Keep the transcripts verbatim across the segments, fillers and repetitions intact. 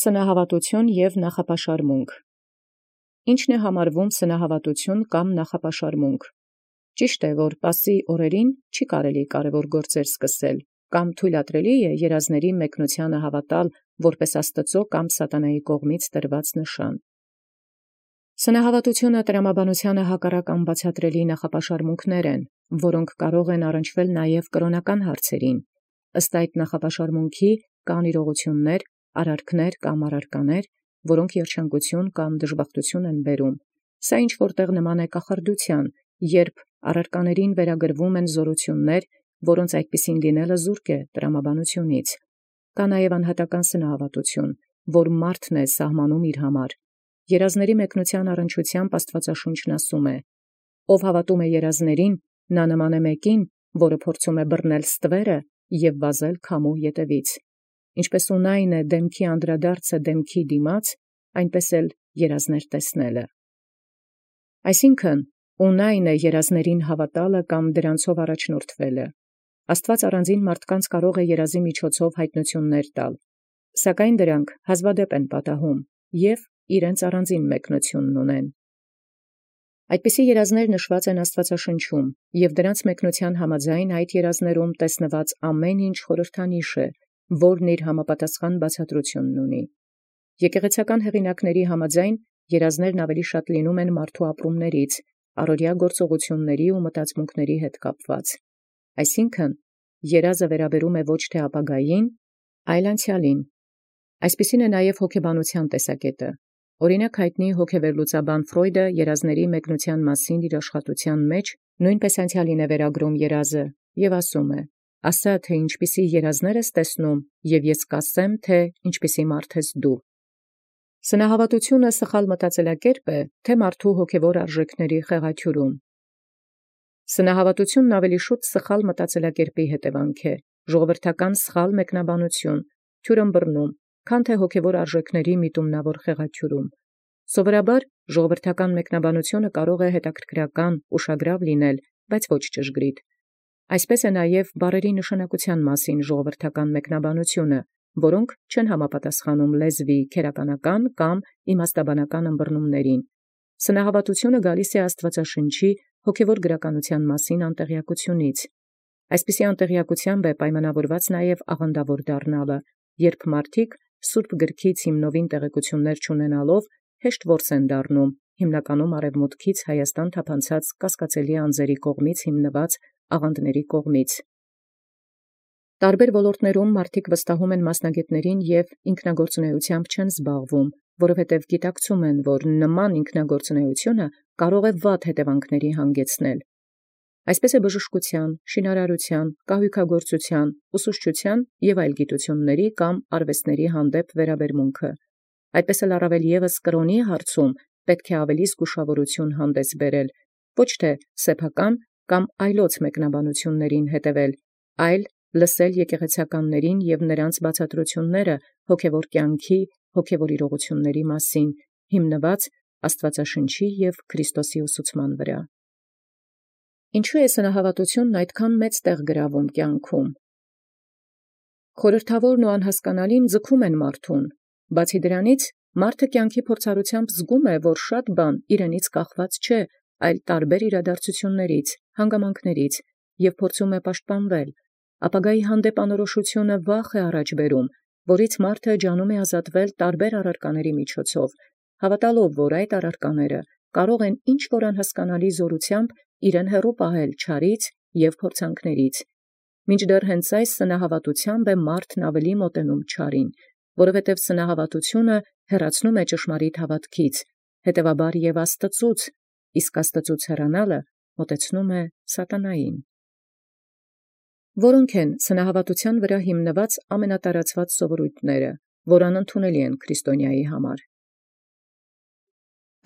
Սնահավատութիւն և նախապաշարմունք։ Ի՞նչն է համարվում սնահավատութիւն կամ նախապաշարմունք։ Ճիշտ է, որ պասի օրերին չի կարելի կարևոր գործել սկսել, կամ թույլատրելի է երազների մեկնութեանը հավատալ որպես Աստուծոյ կամ սատանայի կողմից տրված նշան։ Սնահավատութիւնը տրամաբանութեանը հակառակ անբացատրելի նախապաշարմունքներ են, որոնք կարող են առնչվել նաև կրոնական հարցերին։ Ըստ այդ նախապաշարմունքի կան իրողություններ, արարքներ կամ առարկաներ, որոնք երջանկություն կամ դժբախտություն են բերում։ Սա ինչ որտեղ նման է կախարդութեան, երբ առարկաներին վերագրվում են զորություններ, որոնց այդպիսին լինելը զուրկ է տրամաբանությունից։ Կա նաև անհատական սնահավատութիւն, որ մարդն է սահմանում իր համար։ Երազների մեկնութեան առնչությամբ Աստուածաշունչն ասում է. «Ով հավատում է երազներին, նա նման է մեկին, որը փորձում է բռնել ստվերը և վազել քամու ետևից։ Ինչպես ունայն է դեմքի անդրադարձը դեմքի դիմաց, այնպես էլ երազներ տեսնելը»։ Այսինքն, ունայն է երազներին հավատալը կամ դրանցով առաջնորդվելը։ Աստուած առանձին մարդկանց կարող է երազի միջոցով յայտնութիւններ տալ, սակայն դրանք հազվադեպ են պատահում և իրենց առանձին մեկնութիւնն ունեն։ Այդպիսի երազներ նշված են Աստուածաշնչում, և դրանց մեկնութեան համաձայն այդ երազներում տեսնված ամեն ինչ խորհրդանիշ է, որն իր համապատասխան բացատրութիւնն ունի։ Եկեղեցական հեղինակացն համաձայն երազներն ավելի շատ լինում են մարդու ապրումներից, առօրյա գործողությունների ու մտածմունքների հետ կապված։ Այսինքն, երազը վերաբերում է ոչ թե ապագային, այլ անցեալին։ Այսպիսին է նաև հոգեբանության տեսակետը։ Օրինակ հայտնի հոգեվերլուծաբան Ֆրոյդը երազների մեկնութեան մասին իր աշխատութեան մեջ նույնպես անցեալին է վերագրում երազը և ասում է. «Ասա, թե ինչպիսի երազներ ես տեսնում, և ես կասեմ, թե ինչպիսի մարդ ես դու»։ Սնահավատութիւնը սխալ մտածելակերպ է, թե մարդու հոգևոր արժեքների խեղաթյուրում։ Սնահավատութիւնն ավելի շուտ սխալ մտածելակերպի հետևանք է, ժողովրդական սխալ մեկնաբանութիւն, թյուրըմբռնում, քան թե հոգևոր արժեքների միտումնավոր խեղաթյուրում։ Սովորաբար ժողովրդական մեկնաբանութիւնը կարող է հետաքրքրական, ուշագրաւ լինել, բայց ոչ ճշգրիտ։ Այսպես է նաև բառերի նշանակութեան մասին ժողովրդական մեկնաբանութիւնը, որոնք չեն համապատասխանում լեզվի քերականական կամ իմաստաբանական ըմբռնումներին։ Սնահավատութիւնը գալիս է Աստուածաշնչի հոգևոր գրականութեան մասին անտեղյակությունից։ Այսպիսի անտեղյակութեամբ է պայմանավորված նաև աղանդավոր դառնալը, երբ մարդիկ սուրբ գրքից հիմնովին տեղեկություններ չունենալով հեշտ որս են դառնում, հիմնականում արևմուտքից Հայաստան թափանցած կասկածելի անձերի կողմից հիմնված աղանդների կողմից։ Տարբեր ոլորտներում մարդիկ վստահում են մասնագետներին և ինքնագործունեությամբ չեն զբաղվում, որովհետև գիտակցում են, որ նման ինքնագործունեությունը կարող է վատ հետևանքների հանգեցնել։ Այսպես է բժշկութեան, շինարարութեան, կահույքագործութեան, ուսուցչութեան և այլ գիտությունների կամ արվեստների հանդեպ վերաբերմունքը։ Այդպես էլ առավել ևս կրոնի հարցում պետք է ավելի զգուշավորութիւն հանդես բերել, ոչ թե սեփական կամ այլոց մեկնաբանութիւնացն հետևել, այլ լսել եկեղեցականներին և նրանց բացատրութիւնները հոգևոր կյանքի, հոգևոր իրողությունների մասին, հիմնված Աստուածաշնչի և Քրիստոսի ուսուցման վրա։ Ինչո՞ւ է սնահավատութիւնն այդքան մեծ տեղ գրավում կյանքում։ Խորհրդավորն ու անհասկանալին ձգում են մարդուն։ Բացի դրանից, մարդը կյանքի փորձառությամբ զգում է, որ շատ բան իրենից կախված չէ, այլ տարբեր իրադարձություններից, հանգամանքներից, և փորձում է պաշտպանվել։ Ապագայի հանդեպ անորոշութիւնը վախ է առաջ բերում, որից մարդը ջանում է ազատվել տարբեր առարկաների միջոցով, հավատալով, որ այդ առարկաները կարող են ինչ-որ անհասկանալի զորութեամբ իրեն հեռու պահել չարից և փորձանքներից։ Մինչդեռ հենց այս սնահավատութեամբ է մարդն ավելի մոտենում չարին, որովհետև սնահավատութիւնը հեռացնում է ճշմարիտ հավատքից, հետևաբար և Աստծուց, իսկ Աստծուց հեռանալը մոտեցնում է սատանային։ Որո՞նք են սնահավատութեան վրա հիմնված ամենատարածված սովորույթները, որ անընդունելի են քրիստոնյայի համար։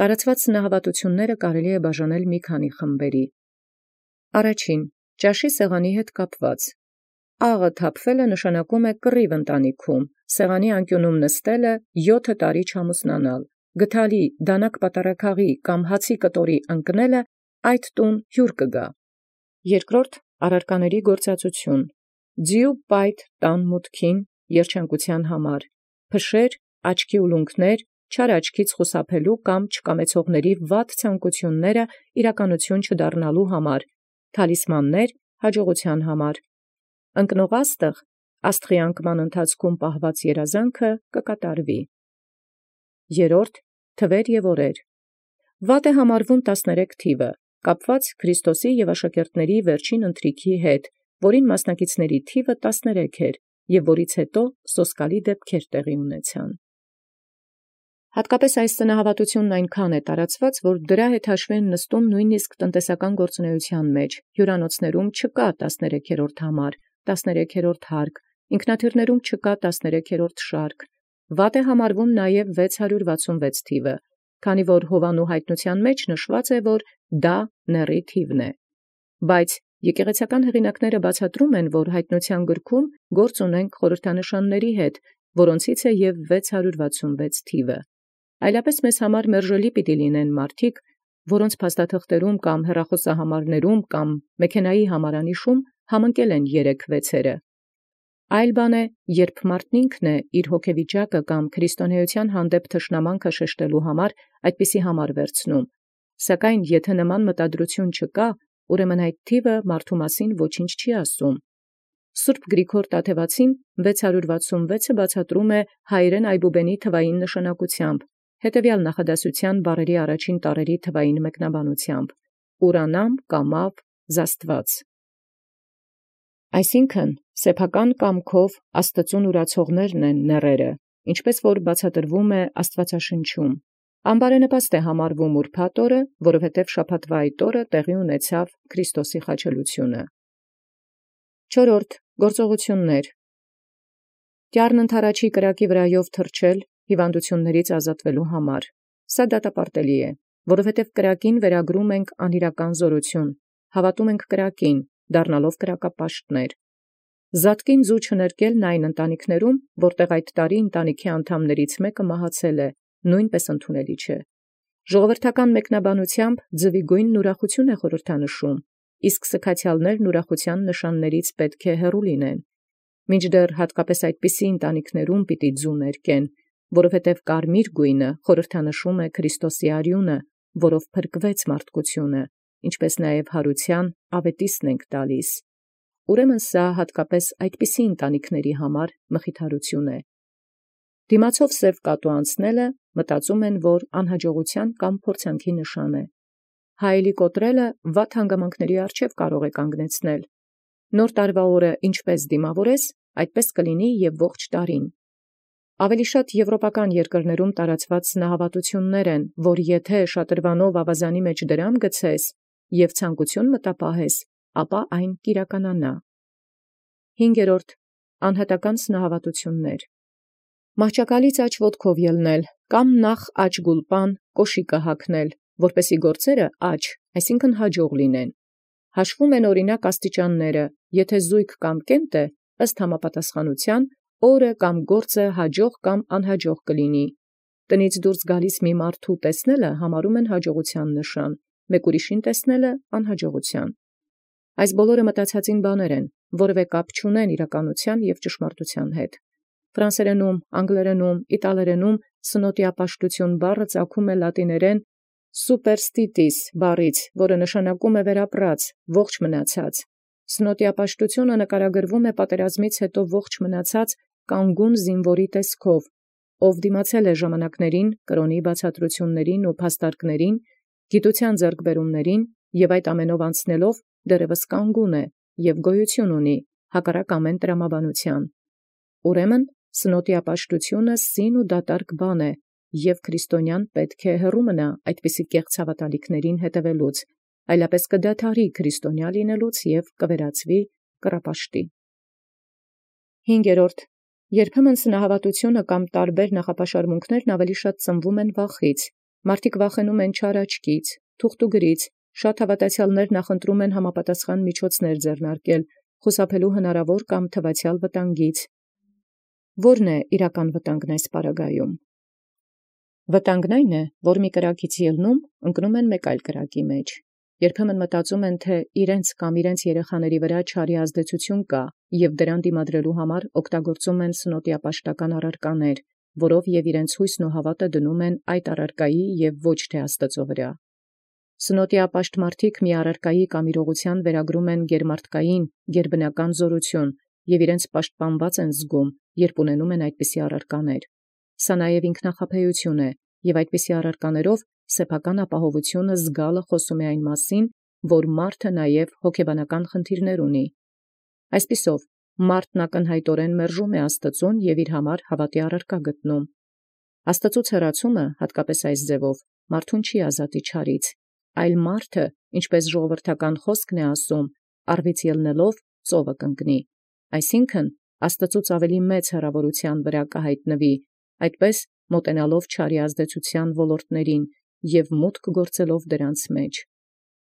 Տարածված սնահավատութիւնները կարելի է բաժանել մի քանի խմբերի։ Առաջին՝ ճաշի սեղանի հետ կապված։ Աղը թափվելը նշանակում է կռիվ ընտանիքում, սեղանի անկյունում նստելը յոթը տարի չամուսնանալ, գդալի, դանակ պատառաքաղի կամ հացի կտորի ընկնելը այդ տուն հյուր կգա։ Երկրորդ՝ առարկաների գործածություն։ Ձիու պայթ տան մուտքին երջանկութեան համար, փշեր, աչքի ուլունքներ, չար աչքից խուսափելու կամ չկամեցողների վատ ցանկությունները իրականություն չդառնալու համար, թալիսմաններ հաջողության համար։ Ընկնող աստղ աստղի անկման ընթացքում պահված երազանքը կկատարվի։ Երորդ թվեր և օրեր։ Վատ է համարվում տասներեք թիվը, կապված Քրիստոսի և աշակերտների վերջին ընթրիքի հետ, որին մասնակիցների թիվը տասներեք էր, և որից հետո սոսկալի դեպքեր տեղի ունեցան։ Հատկապես այս ծնահավատությունն այնքան է տարածված, որ դրա հետ հաշվի են նստում նույնիսկ տնտեսական գործունեության մեջ, հյուրանոցներում չկա տասներեքերորդ համար, տասներեքերորդ հարկ, ինքնաթիռներում չկա տասներեքերորդ շարք, վատ է համարվում նաև վեց հարյուր վաթսունվեց թիվը, քանի որ Հովանու հայտնութեան մեջ նշված է, որ դա նեռի թիվն է, բայց եկեղեցական հեղինակները բացատրում են, որ հայտնութեան գրքում գործ ունենք խորհրդանշանների հետ, որոնցից է և վեց հարյուր վաթսունվեց թիվը։ Այլապես մեզ համար մերժելի պիտի լինեն մարդիկ, որոնց փաստաթղթերում կամ հեռախոսահամարներում կամ մեքենայի համարանիշում համընկել են երեք վեցերը։ Այլ բան է, երբ մարդն ինքն է իր հոգեվիճակը կամ քրիստոնեության հանդեպ թշնամանքը շեշտելու համար այդպիսի համար վերցնում, սակայն եթե նման մտադրություն չկա, ուրեմն այդ թիվը մարդու մասին ոչինչ չի ասում։ Սուրբ Գրիգոր Տաթևացին վեց հարյուր վաթսունվեցը բացատրում է հայերեն այբուբենի թվային նշանակությամբ, հետևյալ նախադասության բառերի առաջին տառերի թվային մեկնաբանությամբ. ուրանամ, կամավ, զաստված։ Այսինքն, սեփական կամքով Աստծուն ուրացողներն են նեռերը, ինչպես որ բացատրվում է Աստվածաշնչում։ Անբարենպաստ է համարվում ուրբաթ օրը, որովհետև շաբաթվա այդ օրը տեղի ունեցավ Քրիստոսի խաչելությունը։ Չորրորդ գործողություններ։ Կյառն ընթարաչի կրակի վրայով թռչել հիվանդություններից ազատվելու համար։ Սա դատապարտելի է, որովհետև կրակին վերագրում ենք անիրական զորություն, հավատում ենք կրակին, դառնալով կրակապաշտներ։ Զատկին ձու չներկելն այն ընտանիքներում, որտեղ այդ տարի ընտանիքի անդամներից մեկը մահացել է, նույնպես ընդունելի չէ։ Ժողովրդական մեկնաբանությամբ ձվի գույնն ուրախություն է խորհրդանշում, իսկ սքացյալներն ուրախության նշաններից պետք է հեռու լինեն։ Մինչդեռ հատկապես այդպիսի ընտանիքներում պիտի ձու ներկեն, որովհետև կարմիր գույնը խորհրդանշում է Քրիստոսի արյունը, որով փրկվեց մարդկությունը, ինչպես նաև հարության ավետիսն ենք տալիս։ Ուրեմն սա հատկապես այդպիսի ընտանիքների համար մխիթարություն է։ Դիմացով սև կատու անցնելը մտածում են, որ անհաջողության կամ փորձանքի նշան է։ Հայելի կոտրելը վատ հանգամանքների առջև կարող է կանգնեցնել։ Նոր տարվա օրը ինչպես դիմավորես, այդպես կլինի և ողջ տարին։ Ավելի շատ եվրոպական երկրներում տարածված սնահավատություններ են, որ եթե շատրվանով ավազանի մեջ դրամ գցես և ցանկություն մտապահես, ապա այն կիրականանա։ Հինգերորդ անհատական սնահավատություններ։ Մահճակալից աջ ոտքով ելնել, կամ նախ աջ գուլպան կոշիկը հագնել, որպեսզի գործերը աջ, այսինքն հաջող լինեն։ Հաշվում են օրինակ աստիճանները, եթե զույգ կամ կենտ է, ըստ համապատասխանության, օրը կամ գործը հաջող կամ անհաջող կլինի։ Տնից դուրս գալիս մի մարդու տեսնելը համարում են հաջողության նշան, մեկ ուրիշին տեսնելը անհաջողության։ Այս բոլորը մտածածին բաներ են, որևէ կապ չունեն իրականության և ճշմարտության հետ։ Ֆրանսերենում, անգլերենում, իտալերենում սնոտիապաշտություն բառը ծագում է լատիներեն superstitis բառից, որը նշանակում է վերապրած, ողջ մնացած։ Սնոտիապաշտությունը նկարագրվում է պատերազմից հետո ողջ մնացած կանգուն զինվորի տեսքով, ով դիմացել է ժամանակներին, կրոնի բացատրություններին ու փաստարկներին, գիտության ձեռքբերումներին և այդ ամենով անցնելով դեռևս կանգուն է և գոյություն ունի, հակառակ ամեն տրամաբանության։ Ուրեմն սնոտիապաշտությունը սին ու դատարկ բան է, և քրիստոնյան պետք է հեռու մնա այդպիսի կեղծ հավատալիքներին հետևելուց, այլապես կդադարի քրիստոնյա լինելուց և կվերածվի կռապաշտի։ Հինգերորդ. երբեմն սնահավատությունը կամ տարբեր նախապաշարմունքներն ավելի շատ ծնվում են վախից։ Մարդիկ վախենում են չար աչքից, թուղթուգրից, շատ հավատացյալներ նախընտրում են համապատասխան միջոցներ ձեռնարկել, խուսափելու հնարավոր կամ թվացյալ վտանգից։ Ո՞րն է իրական վտանգն այս պարագայում։ Վտանգն այն է, որ մի կրակից ելնում ընկնում են մեկ այլ կրակի մեջ։ Երբեմն մտածում են, թե իրենց կամ իրենց երեխաների վրա չարի ազդեցություն կա, և դրան դիմադրելու համար օգտագործում են սնոտիապաշտական առարկաներ, որով եւ իրենց հույսն ու հավատը դնում են այդ առարկայի եւ ոչ թե Աստծո վրա։ Սնոտիապաշտ մարդիկ մի առարկայի կամ իրողության վերագրում են գերմարտկային, գերբնական զորություն եւ իրենց պաշտպանված են զգում, երբ ունենում են այդպիսի առարկաներ։ Սա նաեւ ինքնախապեյություն է, եւ այդպիսի առարկաներով սեփական ապահովությունը զգալը խոսում է այն մասին, որ մարդը նաեւ հոգեբանական խնդիրներ ունի։ Այսպիսով, մարդն ակնհայտորեն մերժում է Աստծուն եւ իր համար հավատի առարկա գտնում։ Աստծուց հեռացումը, հատկապես այս ձևով, մարդուն չի ազատի չարից, այլ մարդը, ինչպես ժողովրդական խոսքն է ասում, առվից ելնելով ծովը կընկնի, այսինքն Աստծուց ավելի մեծ հեռավորության վրա կհայտնվի, այդպես մոտենալով չարի ազդեցության ոլորտներին եւ մուտք գործելով դրանց մեջ։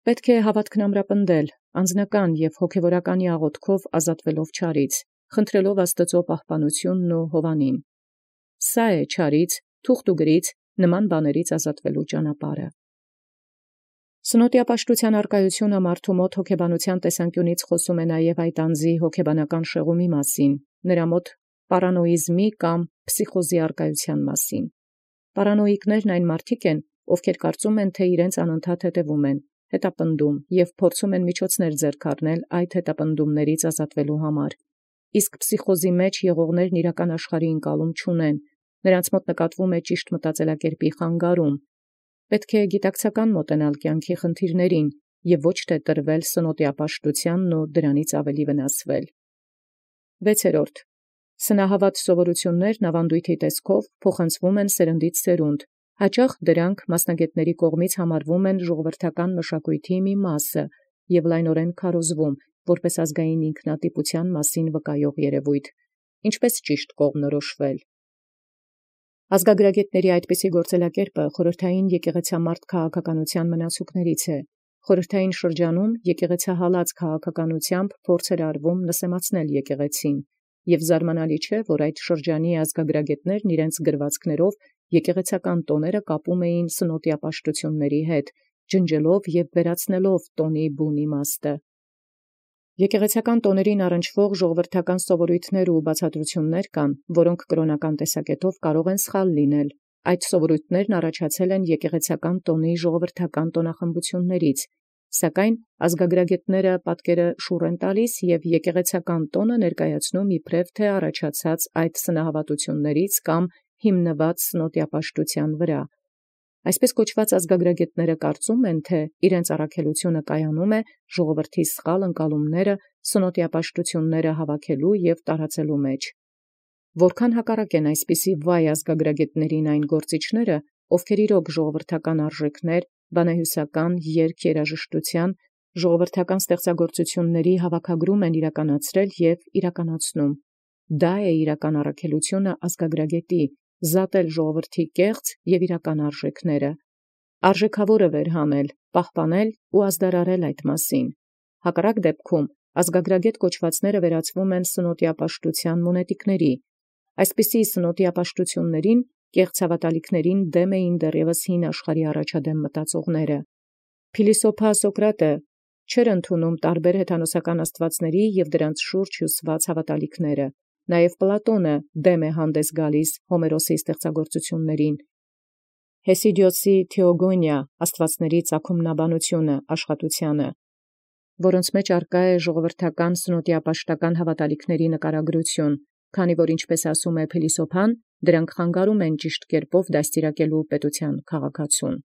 Պետք է հավատքն ամրապնդել, անձնական եւ հոգեվորականի աղոթքով ազատվելով չարից, խնդրելով Աստծո պահպանությունն ու հովանին։ Սա է չարից, թուղթ ու գրից, նման բաներից ազատվելու ճանապարհը։ Սնոտիապաշտության արկայությունը մարդու մոտ հոգեբանության տեսանկյունից խոսում է նաև այդ անձի հոգեբանական շեղումի մասին, նրա մոտ պարանոիզմի կամ փսիխոզի արկայության մասին։ Պարանոիկներն այն մարդիկ են, ովքեր կարծում են, թե իրենց անընդհատ հետևում են, հետապնդում և փորձում են միջոցներ ձեռք առնել այդ հետապնդումներից ազատվելու համար։ Իսկ փսիխոզի մեջ եղողներն իրական աշխարհի ընկալում չունեն, նրանց մոտ նկատվում է ճիշտ մտածելակերպի խանգարում։ Պետք է գիտակցական մոտենալ կյանքի խնդիրներին և ոչ թե տրվել սնոտիապաշտությանն ու դրանից ավելի վնասվել։ վեցերորդ. Սնահավատ սովորութիւններն ավանդույթի տեսքով փոխանցվում են սերնդից սերունդ, հաճախ դրանք մասնագետների կողմից համարվում են ժողովրդական մշակույթի մի մասը և լայնորեն քարոզվում, որպես ազգային ինքնատիպության մասին վկայող երևույթ, ինչպես ճիշտ կողմնորոշվել։ Ազգագրագետների այդպիսի գործելակերպը խորհրդային եկեղեցամարտ քաղաքականության մնացուկներից է։ Խորհրդային շրջանում եկեղեցահալած քաղաքականությամբ փորձ էր արվում նսեմացնել եկեղեցին, եւ զարմանալի չէ, որ այդ շրջանի ազգագրագետներն իրենց գրվածքներով եկեղեցական տոները կապում էին սնոտիապաշտությունների հետ, ջնջելով եւ վերացնելով տոնի բուն իմաստը։ Եկեղեցական տոներին առնչվող ժողովրդական սովորույթներ ու բացատրություններ կան, որոնք կրոնական տեսակետով կարող են սխալ լինել։ Այդ սովորույթներն առաջացել են եկեղեցական տոնի ժողովրդական տոնախմբություններից, սակայն ազգագրագետները պատկերը շուռ են տալիս եւ եկեղեցական տոնը ներկայացնում իբրև թե առաջացած այդ սնահավատություններից կամ հիմնված սնոտիապաշտության վրա։ Այսպես կոչված ազգագրագետները կարծում են, թե իրենց առաքելությունը կայանում է ժողովրդի սխալ ընկալումները սնոտիապաշտությունները հավաքելու եւ տարածելու մեջ։ Որքան հակառակ են այսպիսի վայ ազգագրագետներին այն գործիչները, ովքեր իրոք ժողովրդական արժեքներ, բանահյուսական երկ երաժշտության, ժողովրդական ստեղծագործությունների հավաքագրում են իրականացրել եւ իրականացնում։ Դա է իրական առաքելությունը ազգագրագետի, զատել ժողովրդի կեղծ եւ իրական արժեքները, արժեքավորը վերհանել, պահպանել ու ազդարարել այդ մասին։ Հակառակ դեպքում ազգագրագետ կոչվածները վերածվում են սնոտիապաշտության մունետիկների։ Այսպիսի սնոտիապաշտություններին կեղծ հավատալիքներին դեմ էին դեռևս հին աշխարհի առաջադեմ մտածողները։ Փիլիսոփա Սոկրատը չէր ընդունում տարբեր հեթանոսական աստվածների եւ դրանց շուրջ հյուսված հավատալիքները։ Նաեւ Պլատոնը դեմ է հանդես գալիս Հոմերոսի ստեղծագործություններին։ Հեսիդիոսի Թեոգոնիա աստվածների ծագումնաբանությունը աշխատությանը, որոնց մեջ արկա է ժողովրդական սնոտիապաշտական հավատալիքների նկարագրություն, քանի որ ինչպես ասում է փիլիսոփան, դրանք խանգարում են ճիշտ կերպով դաստիարակելու պետության քաղաքացուն։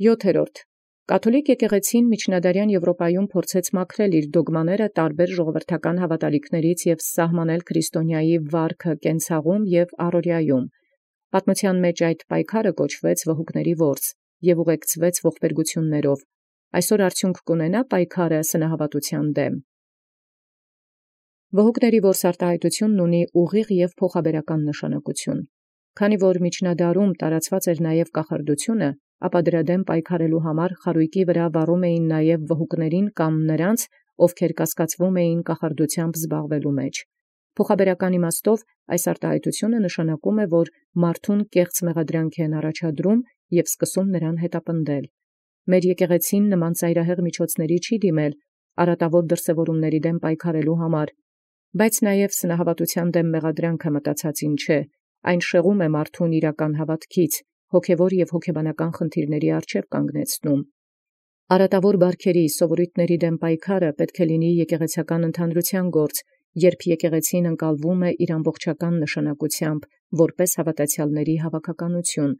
յոթերորդ. Կաթոլիկ եկեղեցին միջնադարյան Եվրոպայում փորձեց մաքրել իր դոգմաները տարբեր ժողովրդական հավատալիքներից եւ սահմանել քրիստոնեայի վարքը կենցաղում եւ առօրյայում։ Պատմության մեջ այդ պայքարը կոչվեց վհուկների որս եւ ուղեկցվեց ողբերգություններով։ Այսօր արդյունք կունենա պայքարը սնահավատության դեմ։ Վհուկների որս արտահայտությունն ունի ուղիղ եւ փոխաբերական նշանակություն։ Քանի որ միջնադարում տարածված էր նաև կախարդությունը, ապա դրա դեմ պայքարելու համար խարույկի վրա վառում էին նաև վհուկներին կամ նրանց, ովքեր կասկածվում էին կախարդությամբ զբաղվելու մեջ։ Փոխաբերական իմաստով այս արտահայտությունը նշանակում է, որ մարդուն կեղծ մեղադրանք են առաջադրում եւ սկսում նրան հետապնդել։ Մեր եկեղեցին նման ծայրահեղ միջոցների չի դիմել արատավոր դրսևորումների դեմ պայքարելու համար, բայց նաև սնահավատության դեմ մեղադրանքը մտածածին չէ, Այն շեղում է մարդուն իրական հավատքից, հոգևոր և հոգեբանական խնդիրների առջև կանգնեցնում։ Արատավոր բարքերի սովորույթների դեմ պայքարը պետք է լինի եկեղեցական ընդհանրության գործ, երբ եկեղեցին ընկալվում է իր ամբողջական նշանակությամբ, որպես հավատացյալների հավաքականություն,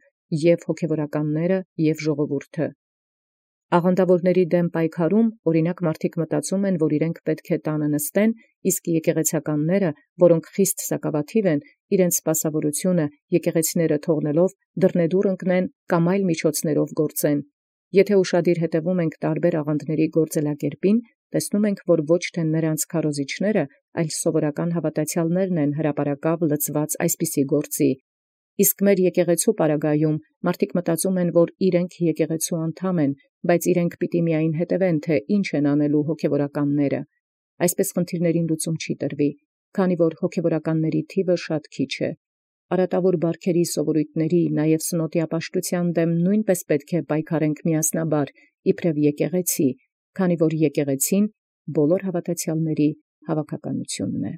և հոգևորականները, և ժողովուրդը։ Աղանդավորների դեմ պայքարում, օրինակ, մարդիկ մտածում են, որ իրենք պետք է տանը նստեն, իսկ եկեղեցականները, որոնք խիստ սակավաթիվ են, իրենց սպասավորությունը եկեղեցիները թողնելով դռնեդուռ ընկնեն կամ այլ միջոցներով գործեն։ Եթե ուշադիր հետևում ենք տարբեր աղանդների գործելակերպին, տեսնում ենք, որ ոչ թե նրանց քարոզիչները, այլ սովորական հավատացյալներն են հրապարակավ լծված այսպիսի գործի։ Իսկ մեր եկեղեցու պարագայում մարդիկ մտածում են, որ իրենք եկեղեցու անդամ են, բայց իրենք պիտի միայն հետևեն, թե ինչ են անելու հոգևորականները։ Այսպես խնդիրներին լուծում չի տրվի, քանի որ հոգևորականների թիվը շատ քիչ է։ Արատավոր բարքերի սովորույթների, նաև սնոտի ապաշտության դեմ նույնպես պետք է պայքարենք միասնաբար, իբրև եկեղեցի, քանի որ եկեղեցին բոլոր հավատացյալների հավաքականությունն է։